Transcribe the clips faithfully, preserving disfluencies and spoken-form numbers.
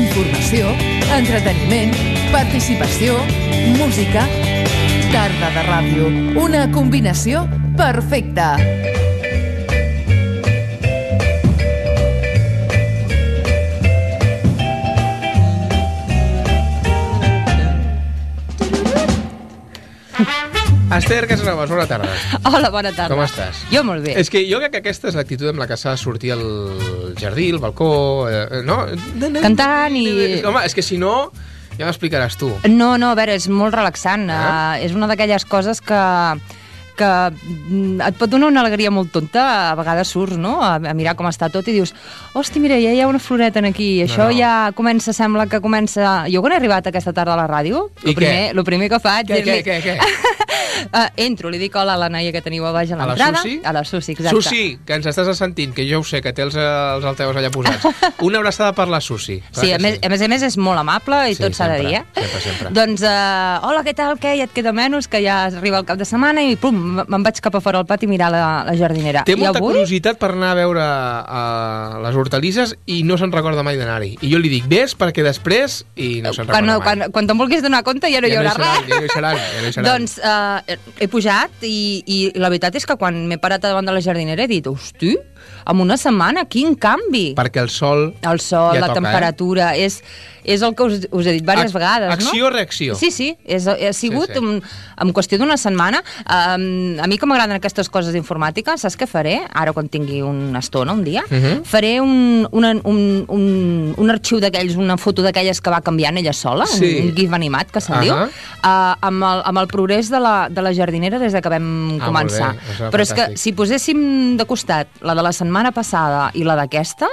informació, entreteniment, participació, música... Tarda de ràdio, una combinació perfecta. Esther Casanovas, bona tarda. Hola, bona tarda. Com estàs? Jo molt bé. És que jo crec que aquesta és l'actitud amb la que s'ha de sortir al jardí, al balcó, eh, no? Cantant i... Home, és que si no, ja m'explicaràs tu. No, no, a veure, és molt relaxant. Eh? Uh, és una d'aquelles coses que... que et pot donar una alegria molt tonta, a vegades surts, no?, a, a mirar com està tot i dius, hosti, mira, ja hi ha una floreta aquí, això no, no. ja comença, sembla que comença... Jo quan he arribat aquesta tarda a la ràdio, el primer, lo primer que faig... Què, què, què, què? Uh, entro, li dic hola a la noia que teniu a baix a l'entrada. A la Susi? A la Susi, exacte. Susi, que ens estàs sentint, que jo ho sé, que té els, els alteus allà posats. Una abraçada per la Susi. Sí, a més, sí, a més a més és molt amable i sí, tot s'ha de dir, eh? Sempre, sempre. Doncs, uh, hola, què tal, què? Ja et queda menys, que ja arriba el cap de setmana i pum, me'n vaig cap a fora al pati a mirar la, la jardinera. Té molta avui... curiositat per anar a veure uh, les hortalisses i no se'n recorda mai d'anar-hi. I jo li dic, ves, perquè després... I no se'n recorda quan, mai. Quan, quan te'n vulguis donar compte ja no ja hi haurà no hi res. Ja no hi seran, ja no hi seran. Doncs uh, he pujat i, i la veritat és que quan m'he parat davant de la jardinera he dit, hosti, en una setmana, quin canvi! Perquè el sol... El sol, ja la toca, temperatura, eh? és, és el que us, us he dit diverses Ac vegades, no? Acció-reacció. Sí, sí, és, ha sigut sí, sí. En, en qüestió d'una setmana. Um, a mi que m'agraden aquestes coses informàtiques, saps què faré? Ara quan tingui una estona, un dia, uh -huh. faré un, una, un, un, un arxiu d'aquells, una foto d'aquelles que va canviant ella sola, sí. un, un gif animat, que se'n uh -huh. diu, uh, amb, el, amb el progrés de la, de la jardinera des de que vam ah, començar. Però és que si poséssim de costat la de la setmana passada i la d'aquesta,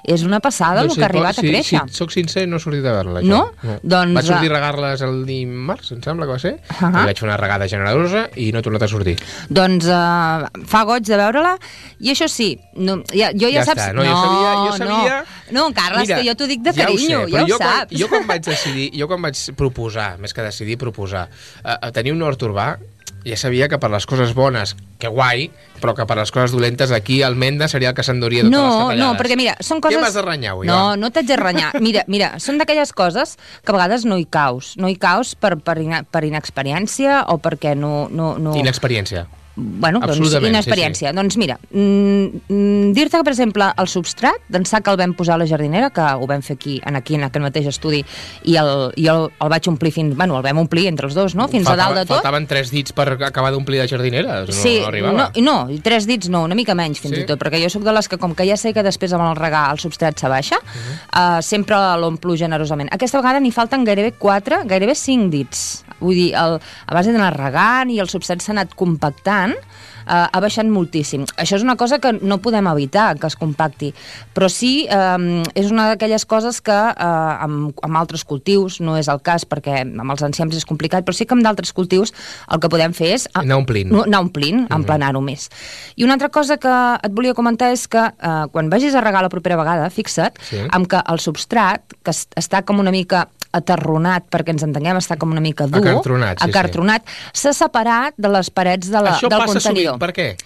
és una passada doncs el que ha arribat si, a créixer. Si soc sincer, no he sortit a veure-la. No? no? Doncs, vaig sortir a regar-les el dimarts, em sembla que va ser, uh -huh. i vaig fer una regada generosa i no he tornat a sortir. Doncs uh, fa goig de veure-la, i això sí, no, ja, jo ja, ja saps... Està. No, jo sabia... Jo sabia... No, no Carles, Mira, que jo t'ho dic de carinyo, ja ho, sé, ja ho jo saps. Quan, jo quan vaig decidir, jo quan vaig proposar, més que decidir, proposar, uh, tenir un hort urbà, ja sabia que per les coses bones, que guai, però que per les coses dolentes aquí el Menda seria el que s'enduria totes no, les tatallades. No, perquè mira, són coses... Què m'has de renyar avui? No, va? No t'haig de renyar. Mira, mira, són d'aquelles coses que a vegades no hi caus. No hi caus per, per, ina, per inexperiència o perquè no... no, no... Inexperiència. Bueno, doncs inexperiència. Sí, sí. Doncs mira, mm, dir-te que, per exemple, el substrat d'ençà que el vam posar a la jardinera, que ho vam fer aquí, en aquí en aquest mateix estudi, i el, i el, el vaig omplir fins... Bueno, el vam omplir entre els dos, no? Fins Faltava, a dalt de tot. Faltaven tres dits per acabar d'omplir la jardinera. No, sí, no arribava. No, no, tres dits no, una mica menys fins sí? i tot, perquè jo sóc de les que, com que ja sé que després amb el regar el substrat s'abaixa, uh -huh. uh, sempre l'omplo generosament. Aquesta vegada n'hi falten gairebé quatre, gairebé cinc dits. Vull dir, el, a base d'anar regant i el substrat s'ha anat compactant, Uh, ha baixat moltíssim. Això és una cosa que no podem evitar, que es compacti, però sí, um, és una d'aquelles coses que uh, amb, amb altres cultius, no és el cas perquè amb els enciams és complicat, però sí que amb d'altres cultius el que podem fer és... Uh, anar omplint. No, anar omplint, uh-huh. emplenar-ho més. I una altra cosa que et volia comentar és que uh, quan vagis a regar la propera vegada, fixa't, sí. amb que el substrat, que està com una mica aterronat, perquè ens entenguem, està com una mica dur, acartronat, sí, acartronat s'ha sí. separat de les parets de la, Això del passa contenidor. Sovint. Per què?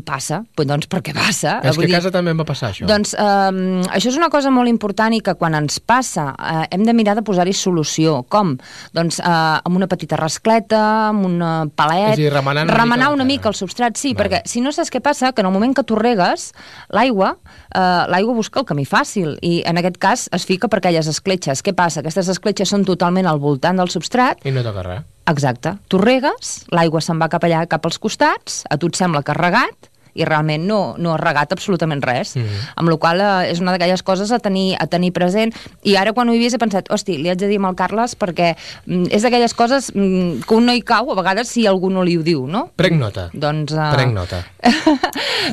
Passa, pues doncs perquè passa. És que a casa també em va passar això. Doncs eh, això és una cosa molt important i que quan ens passa eh, hem de mirar de posar-hi solució. Com? Doncs eh, amb una petita rascleta, amb un palet... És a dir, remenar una, remenar mica, una mica el substrat, sí, vale. perquè si no saps què passa, que en el moment que tu regues, l'aigua eh, l'aigua busca el camí fàcil i en aquest cas es fica per aquelles escletxes. Què passa? Aquestes escletxes són totalment al voltant del substrat. I no toca res. Exacte. Tu regues, l'aigua se'n va cap allà, cap als costats, a tu et sembla que has regat, i realment no, no has regat absolutament res. Mm-hmm. Amb la qual cosa és una d'aquelles coses a tenir, a tenir present. I ara quan ho he vist he pensat, hosti, li haig de dir amb el Carles perquè mm, és d'aquelles coses mm, que un no hi cau, a vegades si algú no li ho diu, no? Prenc nota. Doncs... Uh... Prenc nota.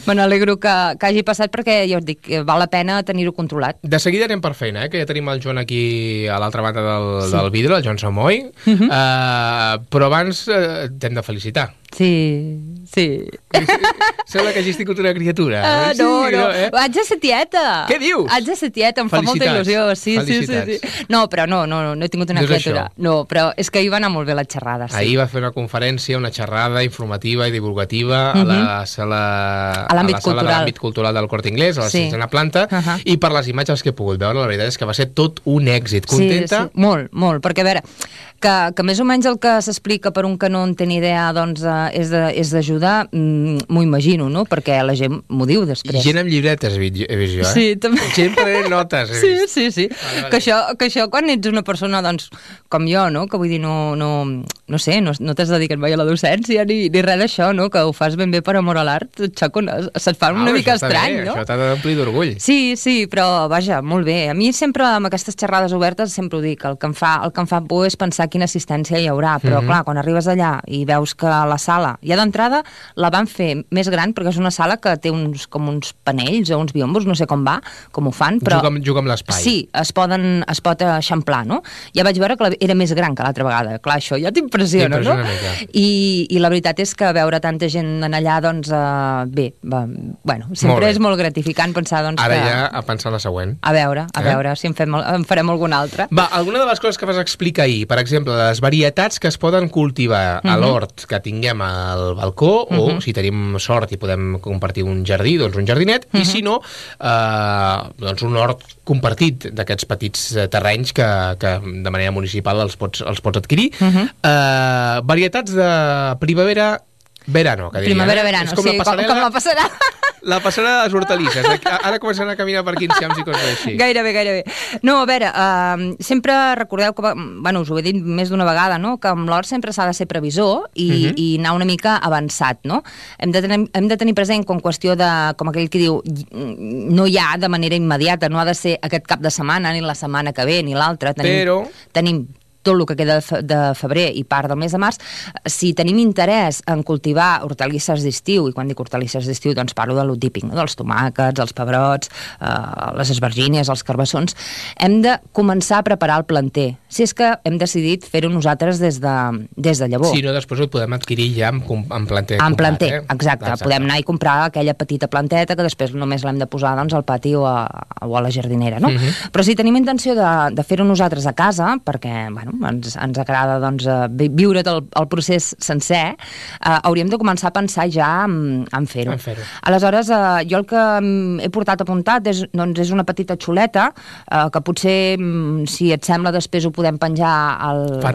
Me n'alegro que, que hagi passat perquè, ja us dic, val la pena tenir-ho controlat. De seguida anem per feina, eh? Que ja tenim el Joan aquí a l'altra banda del, sí. del vidre, el Joan Samoy. Mm-hmm. uh, però abans uh, t'hem de felicitar. Sí, sí. Sembla que hagis tingut una criatura. Uh, sí, no, no, no eh? haig de ser tieta. Què dius? Haig de ser tieta, em fa molta il·lusió. Sí, sí, sí, sí. No, però no, no, no he tingut una no criatura. No, però és que ahir va anar molt bé la xerrada. Sí. Ahir va fer una conferència, una xerrada informativa i divulgativa uh -huh. a la sala, a l'àmbit a la sala cultural. de l'àmbit cultural del Corte Inglés, a la sí. sisena planta, uh -huh. i per les imatges que he pogut veure, la veritat és que va ser tot un èxit. Contenta? Sí, sí. Molt, molt, perquè a veure, que, que més o menys el que s'explica per un que no en té ni idea doncs, eh, és de, és d'ajudar, mm, m'ho imagino, no? Perquè la gent m'ho diu després. I gent amb llibretes he vist jo, eh? Sí, també. Gent prenent notes, he sí, vist. Sí, sí, vale, vale. Que, això, que això quan ets una persona, doncs, com jo, no? Que vull dir, no, no, no sé, no, no t'has dedicat mai a la docència ni, ni res d'això, no? Que ho fas ben bé per amor a l'art, Xaco, se't fa una ah, mica estrany, bé, no? Això t'ha d'omplir d'orgull. Sí, sí, però, vaja, molt bé. A mi sempre, amb aquestes xerrades obertes, sempre ho dic, el que em fa, el que em fa por és pensar quina assistència hi haurà, però, mm-hmm. clar, quan arribes allà i veus que la sala, ja d'entrada, la van fer més gran, perquè és una sala que té uns, com uns panells o uns biombos, no sé com va, com ho fan, però... Juga amb, juga amb l'espai. Sí, es, poden, es pot eixamplar, no? Ja vaig veure que era més gran que l'altra vegada. Clar, això ja t'impressiona, no? I, I la veritat és que veure tanta gent en allà, doncs, uh, bé, va, bueno, sempre molt és molt gratificant pensar, doncs, Ara que... ja a pensar la següent. A veure, a eh? veure si en, fem, en farem alguna altra. Va, alguna de les coses que vas explicar ahir, per exemple, les varietats que es poden cultivar uh -huh. a l'hort que tinguem al balcó, uh -huh. o si tenim sort i podem compartir un jardí, doncs un jardinet, uh -huh. i si no, eh, doncs un hort compartit d'aquests petits terrenys que, que de manera municipal els pots, els pots adquirir. Uh -huh. eh, varietats de primavera, verano, que diria. Primavera, verano, és com sí, la passarel·la, com, com la passarel·la. La passarel·la de les hortalisses. Ara començaran a caminar per aquí enciams i coses així. Gairebé, gairebé. No, a veure, uh, sempre recordeu que, bueno, us ho he dit més d'una vegada, no?, que amb l'hort sempre s'ha de ser previsor i, uh -huh. i anar una mica avançat, no? Hem de, tenir, hem de tenir present com qüestió de, com aquell que diu, no hi ha de manera immediata, no ha de ser aquest cap de setmana, ni la setmana que ve, ni l'altra. Tenim, Però... Tenim tot el que queda de febrer i part del mes de març, si tenim interès en cultivar hortalisses d'estiu, i quan dic hortalisses d'estiu doncs parlo de lo típic, no? Dels tomàquets, els pebrots, eh, les esvergínies, els carbassons, hem de començar a preparar el planter. Si és que hem decidit fer-ho nosaltres des de, des de llavor. Si no, després ho podem adquirir ja amb, amb planter. En planter, eh? exacte. exacte. Podem anar i comprar aquella petita planteta que després només l'hem de posar doncs, al pati o a, o a la jardinera, no? Uh -huh. Però si tenim intenció de, de fer-ho nosaltres a casa, perquè, bueno, ens, ens agrada doncs, viure el, el procés sencer, eh, hauríem de començar a pensar ja en, en fer-ho. Fer Aleshores, eh, jo el que he portat apuntat és, doncs, és una petita xuleta eh, que potser, si et sembla, després ho podem penjar al, al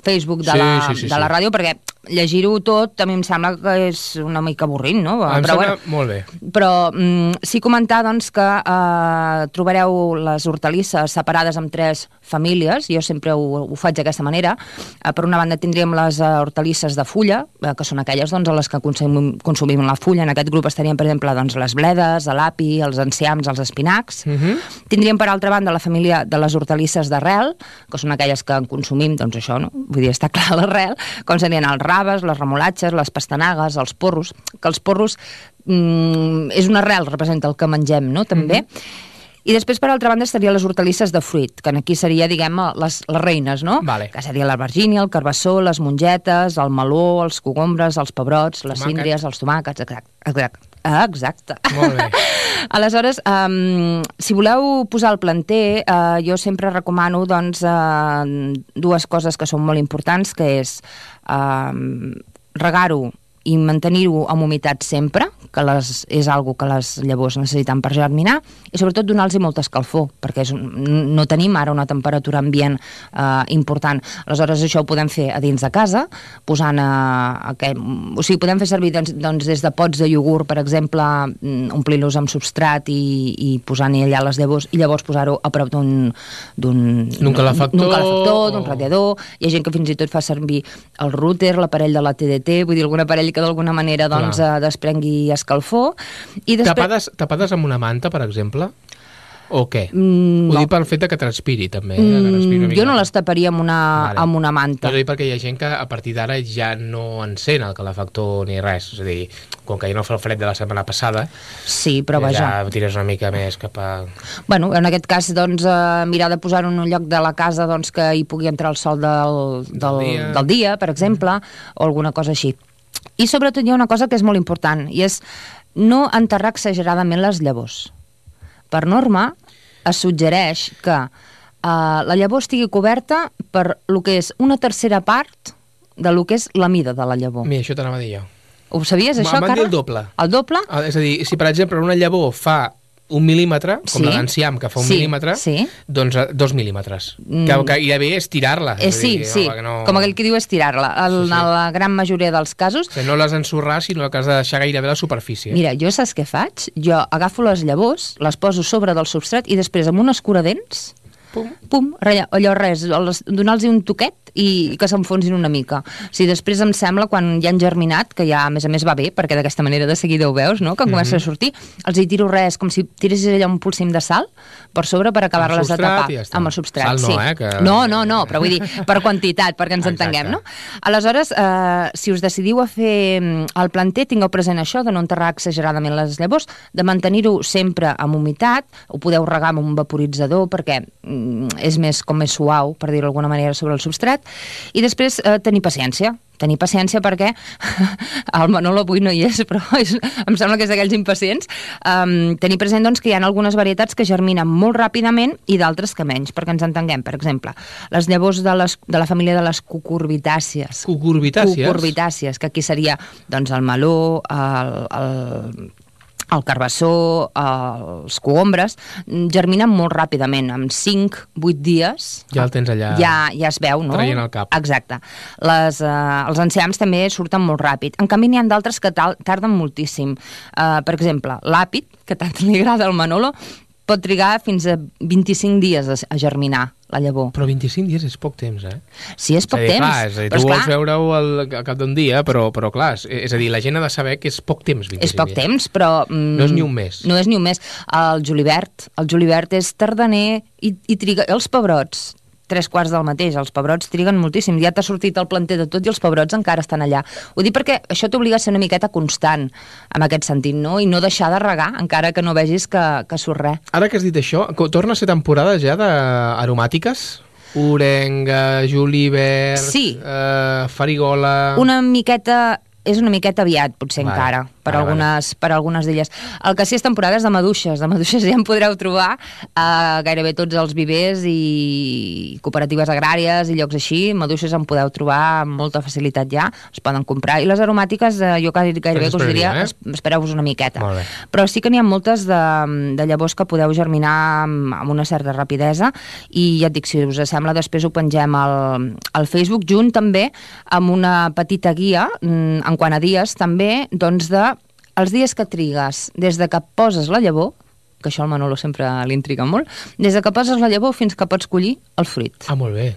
Facebook de, sí, la, sí, sí, de la ràdio, perquè llegir-ho tot a mi em sembla que és una mica avorrit, no? Em però, sembla bueno, molt bé. Però mm, sí comentar doncs, que eh, trobareu les hortalisses separades en tres famílies, jo sempre ho, ho faig d'aquesta manera. Eh, per una banda tindríem les eh, hortalisses de fulla, eh, que són aquelles doncs, a les que consumim, consumim la fulla. En aquest grup estarien, per exemple, doncs, les bledes, l'api, els enciams, els espinacs. Uh -huh. Tindríem, per altra banda, la família de les hortalisses d'arrel, que són aquelles que en consumim, doncs això, no? Vull dir, està clar l'arrel, com serien els raves, les remolatxes, les pastanagues, els porros, que els porros mm, és una arrel, representa el que mengem, no?, també. Mm-hmm. I després, per altra banda, estarien les hortalisses de fruit, que aquí seria, diguem, les, les reines, no? Vale. Que seria l'albergínia, el carbassó, les mongetes, el meló, els cogombres, els pebrots, les Tomàquet. síndries, els tomàquets, exacte. exacte. Ah, exacte. Molt bé. Aleshores, um, si voleu posar el planter, uh, jo sempre recomano doncs, uh, dues coses que són molt importants, que és uh, regar-ho i mantenir-ho amb humitat sempre, que les, és algo que les llavors necessiten per germinar, i sobretot donar-los molta escalfor, perquè és, no tenim ara una temperatura ambient eh, important. Aleshores, això ho podem fer a dins de casa, posant a, a que, o sigui, podem fer servir doncs, doncs, des de pots de iogurt, per exemple, omplir-los amb substrat i, i posant-hi allà les llavors, i llavors posar-ho a prop d'un d'un calefactor, calefactor, d'un radiador. Hi ha gent que fins i tot fa servir el router, l'aparell de la T D T, vull dir, algun aparell que d'alguna manera doncs, eh, desprengui escalfor. I després... tapades, tapades amb una manta, per exemple? O què? Mm, Ho no. dic pel fet que transpiri, també. Mm, que respiri una jo no les taparia amb una, vale. amb una manta. Ho dic perquè hi ha gent que a partir d'ara ja no encén el calefactor ni res. És a dir, com que ja no fa el fred de la setmana passada, sí, però vaja. ja tires una mica més cap a... Bueno, en aquest cas, doncs, eh, mirar de posar-ho en un lloc de la casa doncs, que hi pugui entrar el sol del, del, Del dia. del dia, per exemple, mm. o alguna cosa així. I sobretot hi ha una cosa que és molt important, i és no enterrar exageradament les llavors. Per norma, es suggereix que uh, la llavor estigui coberta per lo que és una tercera part de lo que és la mida de la llavor. Mira, això t'anava a dir jo. Ho sabies, això, Carles? M'han dit el doble. El doble? Ah, és a dir, si per exemple una llavor fa un mil·límetre, com sí. l'enciam que fa un sí. mil·límetre, sí. doncs dos mil·límetres. Mm. Que, que gairebé és tirar-la. Eh, sí, dir, sí, no, com aquell que diu és tirar-la. En sí, sí. la gran majoria dels casos... O sigui, no les ensorrar, sinó que has de deixar gairebé la superfície. Mira, jo saps què faig? Jo agafo les llavors, les poso sobre del substrat i després amb un escuradents, pum, pum allò res, donar-los un toquet i que s'enfonsin una mica. O sigui, després em sembla, quan ja han germinat, que ja a més a més va bé, perquè d'aquesta manera de seguida ho veus, no? Que mm-hmm. comença a sortir, els hi tiro res, com si tiressis allà un polsim de sal per sobre per acabar-les de tapar. Ja amb el substrat, sal no, sí. eh? Que... No, no, no, però vull dir, per quantitat, perquè ens Exacte. entenguem, no? Aleshores, eh, si us decidiu a fer el planter, tingueu present això, de no enterrar exageradament les llavors, de mantenir-ho sempre amb humitat, ho podeu regar amb un vaporitzador perquè mm, és més com més suau, per dir-ho d'alguna manera, sobre el substrat, i després eh, tenir paciència. Tenir paciència perquè el Manolo avui no hi és, però és, em sembla que és d'aquells impacients. Um, tenir present doncs, que hi ha algunes varietats que germinen molt ràpidament i d'altres que menys, perquè ens entenguem. Per exemple, les llavors de, les, de la família de les cucurbitàcies. Cucurbitàcies? Cucurbitàcies, que aquí seria doncs, el meló, el... el el carbassó, els cogombres, germinen molt ràpidament, en cinc a vuit dies. Ja el tens allà, ja, ja es veu, no? traient el cap. Exacte. Les, eh, els enciams també surten molt ràpid. En canvi, n'hi ha d'altres que tarden moltíssim. Uh, per exemple, l'àpid, que tant li agrada al Manolo, pot trigar fins a vint-i-cinc dies a germinar la llavor. Però vint-i-cinc dies és poc temps, eh? Sí, és poc és dir, temps. Clar, és a dir, tu vols veure-ho al, al cap d'un dia, però, però clar, és, és a dir, la gent ha de saber que és poc temps, vint-i-cinc dies. És poc dies. temps, però... Mm, no és ni un mes. No és ni un mes. El julivert, el julivert és tardaner i, i triga... Els pebrots, tres quarts del mateix, els pebrots triguen moltíssim. Ja t'ha sortit el planter de tot i els pebrots encara estan allà. Ho dic perquè això t'obliga a ser una miqueta constant, en aquest sentit, no? I no deixar de regar, encara que no vegis que, que surt res. Ara que has dit això, torna a ser temporada ja d'aromàtiques? Orenga, julivert, sí. eh, farigola... Una miqueta... És una miqueta aviat, potser vale. encara, per, vale, algunes, vale. per algunes d'elles. El que sí és temporada és de maduixes. De maduixes ja en podreu trobar a gairebé tots els vivers i cooperatives agràries i llocs així. Maduixes en podeu trobar amb molta facilitat ja, es poden comprar. I les aromàtiques, eh, jo gairebé us diria, eh? espereu-vos una miqueta. Però sí que n'hi ha moltes de, de llavors que podeu germinar amb, amb una certa rapidesa i ja et dic, si us sembla, després ho pengem al, al Facebook, junt també amb una petita guia en En quant a dies, també, doncs, de els dies que trigues des de que poses la llavor, que això al Manolo sempre l'intriga molt, des de que poses la llavor fins que pots collir el fruit. Ah, molt bé.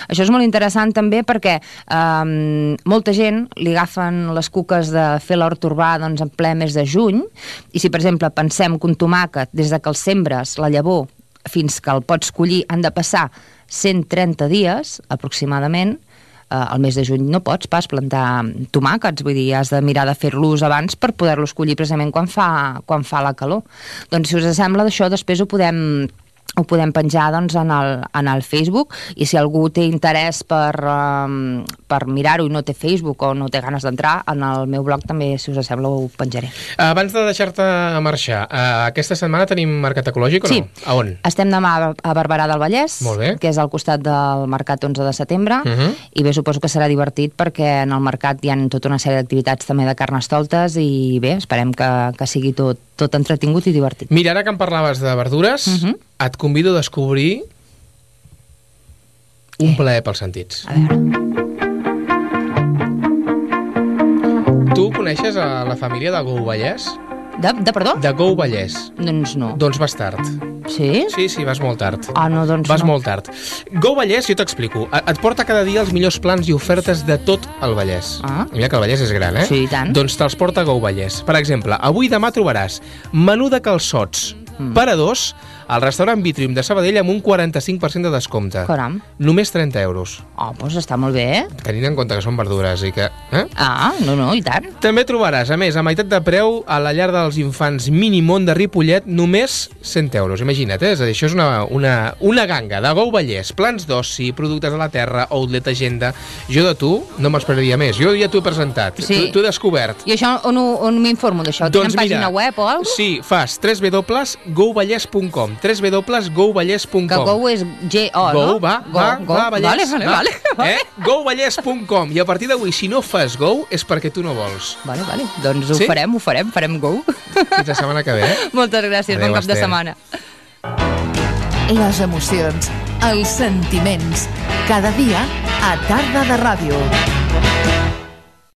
Això és molt interessant també perquè eh, molta gent li agafen les cuques de fer l'hort urbà doncs, en ple mes de juny, i si, per exemple, pensem que un tomàquet, des de que el sembres, la llavor, fins que el pots collir, han de passar cent trenta dies, aproximadament, al mes de juny no pots pas plantar tomàquets, vull dir, has de mirar de fer-los abans per poder-los collir precisament quan fa, quan fa la calor. Doncs si us sembla d'això, després ho podem... ho podem penjar doncs, en, el, en el Facebook, i si algú té interès per, um, per mirar-ho i no té Facebook o no té ganes d'entrar, en el meu blog també, si us sembla, ho penjaré. Abans de deixar-te marxar, uh, aquesta setmana tenim Mercat Ecològic o sí. no? A on? Estem demà a Barberà del Vallès, que és al costat del Mercat onze de setembre, uh-huh. i bé, suposo que serà divertit perquè en el mercat hi ha tota una sèrie d'activitats també de carnestoltes i bé, esperem que, que sigui tot, tot entretingut i divertit. Mira, ara que em parlaves de verdures, uh-huh. et convido a descobrir un plaer pels sentits. A veure. Tu coneixes a la família de Gou Vallès? De, de perdó? De Gou Vallès. Doncs no. Doncs vas tard. Sí? Sí, sí, vas molt tard. Ah, no, doncs vas no. molt tard. Gou Vallès, jo t'explico, et porta cada dia els millors plans i ofertes de tot el Vallès. Ah. Mira que el Vallès és gran, eh? Sí, i tant. Doncs te'ls porta Gou Vallès. Per exemple, avui demà trobaràs menú de calçots mm. per a dos al restaurant Vitrium de Sabadell amb un quaranta-cinc per cent de descompte. Caram. Només trenta euros. Oh, doncs està molt bé, eh? Tenint en compte que són verdures i que... Eh? Ah, no, no, i tant. També trobaràs, a més, a meitat de preu a la llar dels infants Minimont de Ripollet, només cent euros. Imagina't, eh? És a dir, això és una, una, una ganga de Go Vallès, plans d'oci, productes de la terra, outlet, agenda. Jo de tu no m'esperaria més. Jo ja t'ho he presentat, Sí. t'ho he descobert. I això on, ho- on m'informo d'això? Doncs Tenen mira, pàgina web o alguna cosa? Sí, fas w w w punt go vallès punt com w w w punt go vallès punt Que com. Go és G O, Go, no? va, Go, va, go. va, Vallès. Vale, vale, va. vale, vale. Eh? go vallès punt com. I a partir d'avui, si no fas Go, és perquè tu no vols. Vale, vale. Doncs ho Sí? farem, ho farem, farem Go. Fins la setmana que ve, eh? Moltes gràcies, Adéu, bon cap de Esther. setmana. Les emocions, els sentiments. Cada dia a Tarda de Ràdio.